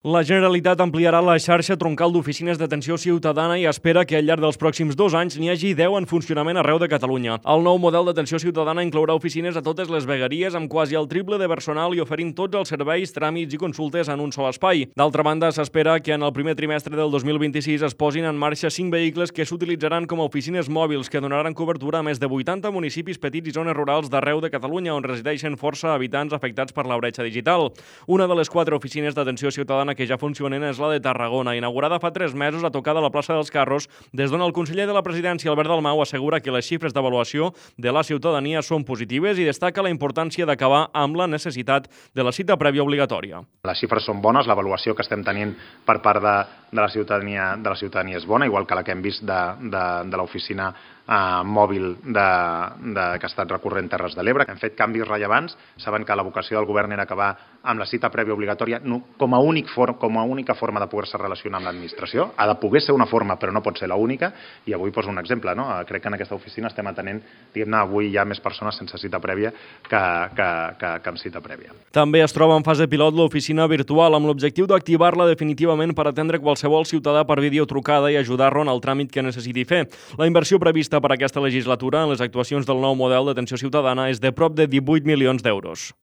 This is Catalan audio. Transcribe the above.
La Generalitat ampliarà la xarxa troncal d'oficines d'atenció ciutadana i espera que al llarg dels pròxims 2 anys n'hi hagi 10 en funcionament arreu de Catalunya. El nou model d'atenció ciutadana inclourà oficines a totes les vegueries amb quasi el triple de personal i oferint tots els serveis, tràmits i consultes en un sol espai. D'altra banda, s'espera que en el primer trimestre del 2026 es posin en marxa 5 vehicles que s'utilitzaran com a oficines mòbils que donaran cobertura a més de 80 municipis petits i zones rurals d'arreu de Catalunya on resideixen força habitants afectats per la bretxa digital. Una de les 4 oficines d'atenció ciutadana que ja funcionen és la de Tarragona, inaugurada fa 3 mesos a tocar de la plaça dels Carros, des d'on el conseller de la Presidència, Albert Dalmau, assegura que les xifres d'avaluació de la ciutadania són positives i destaca la importància d'acabar amb la necessitat de la cita prèvia obligatòria. Les xifres són bones, l'avaluació que estem tenint per part de la ciutadania és bona, igual que la que hem vist de l'oficina mòbil que ha estat recorrent Terres de l'Ebre. Hem fet canvis rellevants, saben que la vocació del govern era acabar amb la cita prèvia obligatòria com a única forma de poder-se relacionar amb l'administració. Ha de poder ser una forma, però no pot ser l'única, i avui poso un exemple. Crec que en aquesta oficina estem atenent, diguem-ne, avui hi ha més persones sense cita prèvia que amb cita prèvia. També es troba en fase pilot l'oficina virtual, amb l'objectiu d'activar-la definitivament per atendre qualsevol ciutadà per videotrucada i ajudar-lo en el tràmit que necessiti fer. La inversió prevista per aquesta legislatura en les actuacions del nou model d'atenció ciutadana és de prop de 18 milions d'euros.